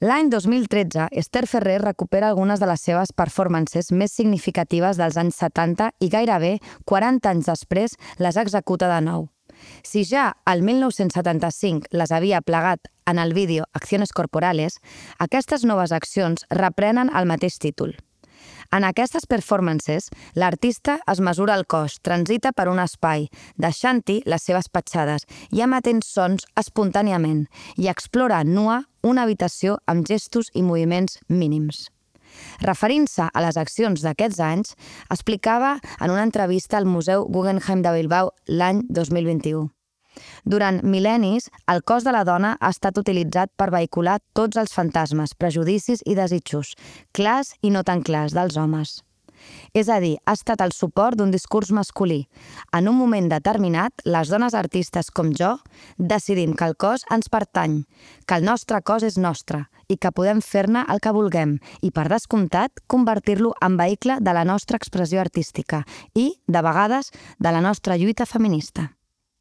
L'any 2013, Esther Ferrer recupera algunes de les seves performances més significatives dels anys 70 i gairebé 40 anys després les executa de nou. Si ja al 1975 les havia plegat en el vídeo Acciones Corporales, aquestes noves accions reprenen el mateix títol. En aquestes performances, l'artista es mesura el cos, transita per un espai, deixant-hi les seves petjades i emetent sons espontàniament i explora nua una habitació amb gestos i moviments mínims. Referint-se a les accions d'aquests anys, explicava en una entrevista al Museu Guggenheim de Bilbao l'any 2021. Durant mil·lennis, el cos de la dona ha estat utilitzat per vehicular tots els fantasmes, prejudicis i desitjos, clars i no tan clars, dels homes. És a dir, ha estat el suport d'un discurs masculí. En un moment determinat, les dones artistes com jo decidim que el cos ens pertany, que el nostre cos és nostre i que podem fer-ne el que vulguem i, per descomptat, convertir-lo en vehicle de la nostra expressió artística i, de vegades, de la nostra lluita feminista.